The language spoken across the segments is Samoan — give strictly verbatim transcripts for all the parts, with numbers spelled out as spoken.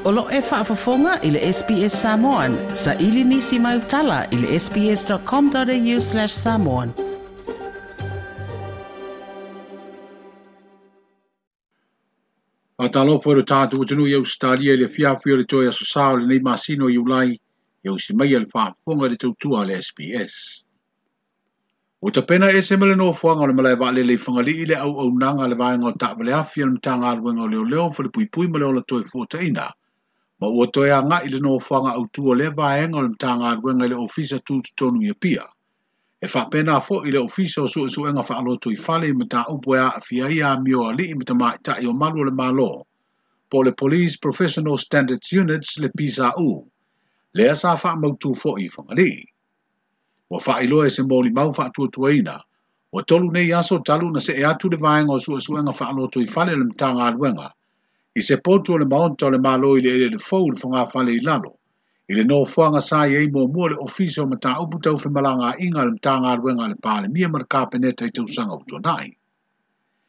O lo e faafofoga i le S B S Samoan. Sa ili nisi mai utala i le sbs.com.au slash samoan. Whātalopo e tātou tunu i Australia le fiafi o le toi aso sao le nei masino i ulai i au si mai le faafofoga le tautua le S B S. O tapena ese ma le nofoaga o le malae vaalele i Fagalii le auaunaga le vaega o taavale afi a le Matagaluega o Leoleo Falepuipui ma le Ola Toe Fuataina. Ma ua toe agai le nofoaga autu o lea vaega o le Matagaluega i le Ofisa Tutotonu i Apia. E faapena foi le Ofisa o Suesuega Faaloto i Fale i mataupu e aafia ai amio a alii ma tamaitai o malu o le Malo, po o le Police Professional Standards Units le P S A U, lea sa faamautu foi i Fagalii. Ua faailoa e se molimau faatuatuaina, ua tolu nei aso talu na see atu le vaega o Suesuega Faaloto i Fale le Matagaluega, i se potu o le maota o le Malo i le eleele fou le fogafale i lalo, i le nofoaga sa i ai muamua le Ofisa o Mataupu Tau Femalagaaiga a le Matagaluega a le Palemia ma le Kapeneta i tausaga ua tuanai.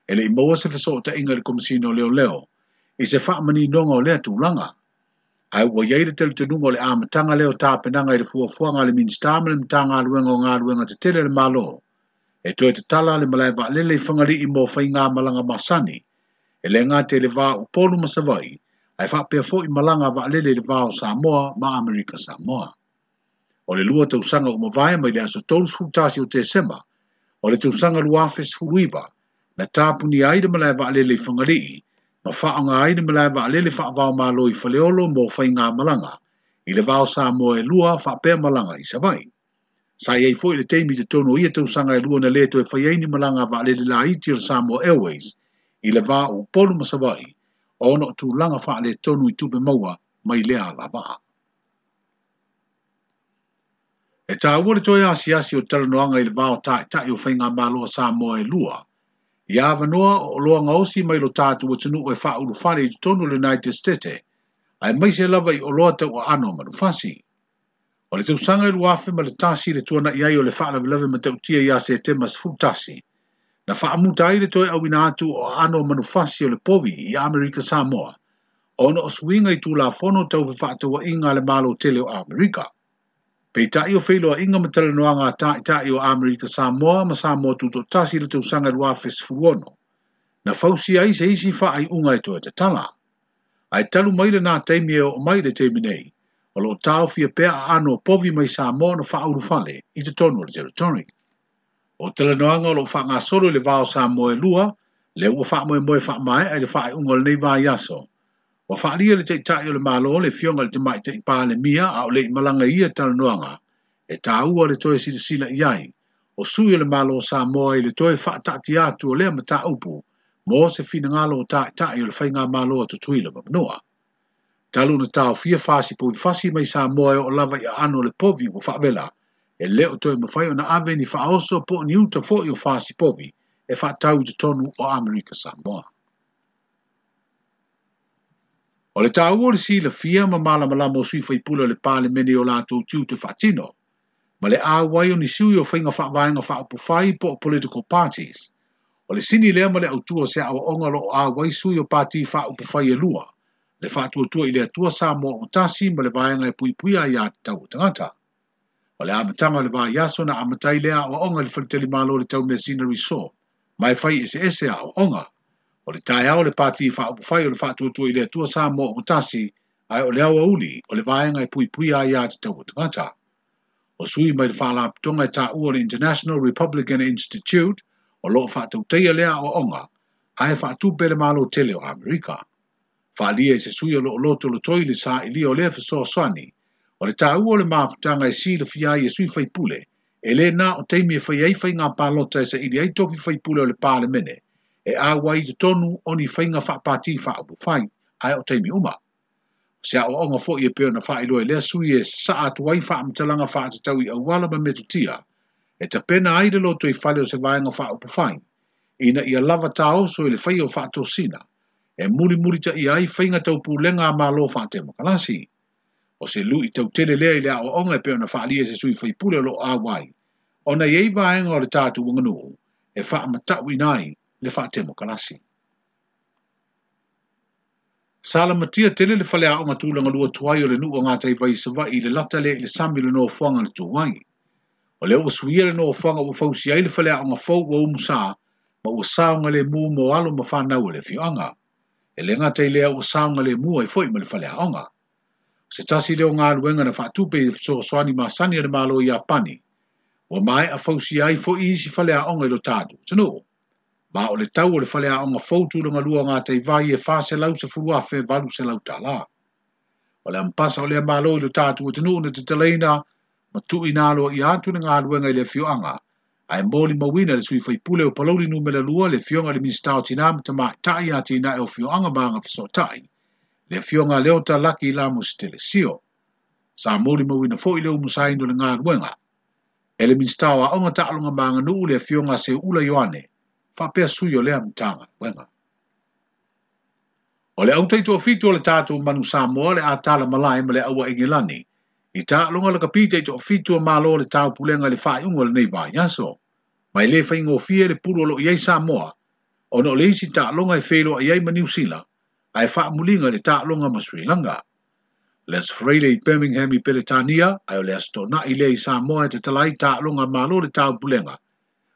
E le i maua se fesootaiga i le Komesina o Leoleo, i se faamaninoga o lea tulaga. Ae ua iai le talitonuga o le amataga lea o tapenaga i le fuafuaga a le Minisita ma le Matagaluega o Galuega Tetele a le Malo, e toe tatala le malae vaalele i Fagalii mo faigamalaga masani, e le gata i le va o Upolu ma Savaii, ae faapea foi malaga vaalele i le va o Samoa ma Amerika Samoa. O le lua tausaga ua mavae mai le aso tolu tasi o Tesema, o le tausaga lua afe sefulu iva, na tapunia ai le malae vaalele i Fagalii, ma faaaoga ai le malae vaalele faavaomalo i Faleolo mo faigamalaga, i le va o Samoa e lua faapea malaga i Savaii. Sa i ai foi le taimi i totonu o ia tausaga e lua na le toe fai ai ni malaga vaalele laiti o le Samoa Airways, i le va o Upolu ma Savaii, ona o tulaga faaletonu i tupe maua mai lea alavaa. E taua le toe asiasi o talanoaga i le va o taitai o faigamalo a Samoa e lua, i avanoa o oloa gaosi mai lo tatou atunuu e faaulufale i totonu o le United States, aemaise lava i oloa tauaano manufasi. O le tausaga e lua afe ma le tasi le tuanai ai o le faalavelave matautia ia Setema sefulu tasi, na faamuta ai le toe auina atu o aano manufasi o le povi i Amerika Samoa, ona o suiga i Tulafono tau fefaatauaiga a le Malo tele o Amerika. Peitai o feiloaiga ma talanoaga a taitai o Amerika Samoa ma Samoa Tutoatasi i le tausaga lua afe sefulu ono, na fausia ai se isi faaiuga e toe tatala. Ae talu mai lena taimi e oo mai le taimi nei, o loo taofia pea aano o povi mai Samoa na faaulufale i totonu o le territory. O talanoaga o loo faagasolo i le va o Samoa e lua, lea ua faamoemoe faamaea i le faaiuga o lenei vaiaso. Ua faalia le taitai o le Malo le afioga i le Tamaitai Palemia a o le i malaga i ia talanoaga, e taua le toe silasila i ai, o sui o le Malo o Samoa i le toe faataatia atu o lea mataupu mo se finagalo o taitai o le faigamalo a Tutuila ma Manua. Talu na taofia fasi povi mai Samoa e oo lava i aano o le povi ua faavela, e le o toe mafai ona ave ni faaoso po o ni uta foi o fasi povi e faatau i totonu o Amerika Samoa. O le taua o le silafia ma malamalama o sui faipule o le Palemene o latou tiute faatino, ma le auai o ni sui o faiga faavaega faaupufai po o political parties. O le sini lea ma le autua o se aoaoga lo o auai sui o pati faaupufai e lua, le faatuatua i le Atua Samoa o tasi ma le vaega e puipuia ai aiatatau a tagata. O le amataga o le vaiaso na amatai lea aoaoga i le faletalimalo o le Taumeasina Resort, ma e fai eseese aoaoga. O le taeao le pati faaupufai o le faatuatua i le Atua Samoa o tasi, ae o le aoauli o le vaega e puipuia ai aiatatau a tagata. O sui mai le faalapotopotoga e taua o le International Republican Institute, o loo faatautaia lea aoaoga, ae faatupe le Malo tele o Amerika. Faalia i se sui o loo lotolotoi le sailiga o lea fesoasoani, o le taua o le mafutaga e silafia ai e sui faipule, e le na o taimi e fai ai faiga palota e saili ai tofi faipule o le Palemene, e auai i totonu o ni faiga faapati faaupufai, ae o taimi uma. O se aoaoga foi e pei ona faailoa e lea sui e saa atu ai faamatalaga faatatau i auala ma metotia, e tapena ai le loto i fale o se vaega faaupufai, ina ia lava taoso i le faia o faatosina, e mulimulitaia ai faiga taupulega a Malo faatemokalasi. O se lui tautele lea i le aoaoga e pei ona faalia e se sui faipule o loo auai, ona i ai vaega o le tatou aganuu e faamatauina ai le faatemokalasi. Sa lamatia tele le faleaoga tulaga lua tuai o le nuu o Gataivai i Savaii i le lata lea i le sami o le nofoaga na tu ai. O lea ua suia le nofoaga ua fausia ai le faleaoga fou ua umusa ma ua saogalemu mo alo ma fanau o le afioaga. E le gata i lea ua saogalemu ai foi ma le faleaoga. O se tasi lea o galuega na faatupe i le fesoasoani masani a le Malo o Iapani, ua maea fausia ai foi isi faleaoga i lo tatou atunuu. Ma o le tau o le faleaoga fou tulaga lua o Gataivai e fa selau sefulu afe valu selau tala. O le ampasa o lea malo i lo tatou atunuu na tatalaina ma tuuina aloaia atu le galuega i le afioaga, ae molimauina le sui faipule o Palauli numera lua le afioga i le Minisita o Tina ma Tamaitai Atinae o Afioaga ma Agafesootai, le afioga a Leota Laki Lamositele Sio. Sa molimauina foi le umusaina o le galuega e le Minisita o Aoga Taaloga ma Aganuu le afioga a Seuula Ioane, faapea sui o lea Matagaluega. O le autaitoafitu o le tatou manu Samoa le atala malae ma le aua Engelani, i taaloga lakapi taitoafitu o Malo o le Taupulega i le faaiuga o lenei vaiaso. Ma e le faigofie le pulu o loo i ai Samoa, ona o le isi taaloga e feiloai ai ma Niu Sila, ae faamuliga i le taaloga ma Sri Lanka. O le Aso Faraile i Birmingham i Peretania, ae o le Aso Toonai lea i Samoa e tatala ai taaloga Malo o le Taupulega,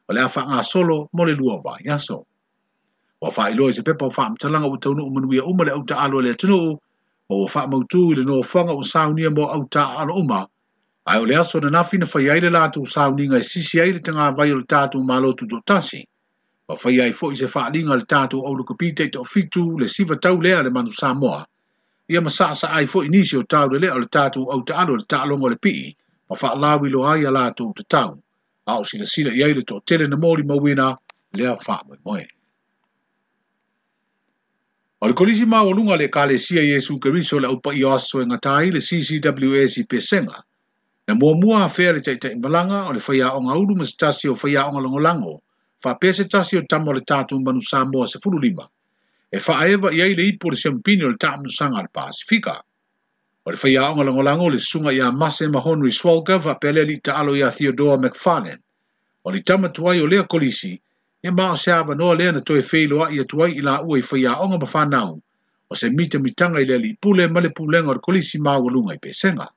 o le a faagasolo mo le lua o vaiaso. Ua faailoa i se pepa o faamatalaga ua taunuu manuia uma le autaaalo a le atunuu, ma ua faamautu i le nofoaga ua saunia mo autaaalo uma, ae o le aso ananafi na fai ai le latou sauniga e sisi ai le tagavai o le tatou Malo Tutoatasi, ma fai ai foi se faaliga a le tatou aulakapi taitoafitu le siva tau lea a le manu Samoa, ia ma saasaa ai foi nisi o taulelea o le tatou autaalo i le taaloga o le pii, ma faalauiloa ai a latou tatau, a o silasila i ai le toatele na molimauina lea faamoemoe. O le kolisi maualuga a le Ekalesia Iesu Keriso o le Aupaia o Aso e gata ai le C C W S i Pesega, na muamua afea le taitaimalaga o le faiaoga ulu ma se tasi o faiaoga lagolago, faapea se tasi o tama o le tatou manu Samoa sefulu lima, e faaeva i ai le ipu o le siampini o le taamilosaga a le Pasifika. O le faiaoga lagolago le susuga ia Mase ma Henry Swalker faapea le alii taalo ia Theodore McFarlane. O le tama tuai o lea kolisi, ia ma o se avanoa lea na toe feiloai atu ai i laua i faiaoga ma fanau, o se mitamitanga i le alii pule ma le pulega o le kolisi maualuga i Pesega.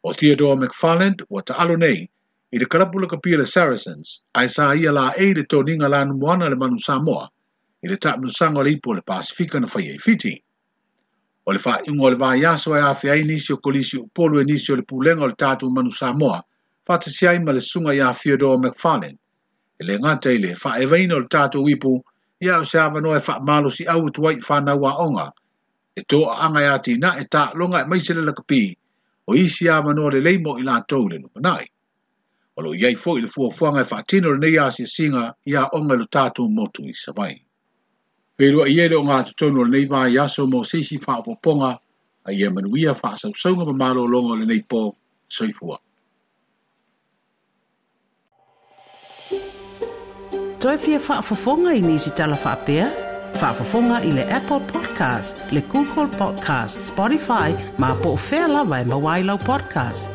O Theodore McFarlane ua taalo nei i le kalapu lakapi a le Saracens, ae sa ia laei le toniga lanumoana a le manu Samoa i le taamilosaga o le ipu o le Pasifika na faia i Fiti. O le faaiuga o le vaiaso e afea ai nisi o kolisi Upolu e nisi o le pulega o le tatou manu Samoa, faatasi ai ma le susuga ia Theodore McFarlane. E le gata i le faaevaina o le tatou ipu, ia o se avanoa e faamalosiau atu ai i fanau aoga, e toaaga e atinae taaloga aemaise le lakapi, o isi avanoa lelei mo i latou i le lumanai. O loo i ai foi le fuafuaga e faatino lenei asiasiga i aoga i lo tatou motu i Savaii. Feiloai ai le ogatotonu o lenei vaiaso mo se isi faaopoopoga, a ia manuia faasausauga ma malologa o lenei po. Soifua. Toe fia faafofoga i nisi tala faapea? Faafofoga i le Apple Podcast, le Google Podcast, Spotify, ma po o fea lava e maua ai lau podcast.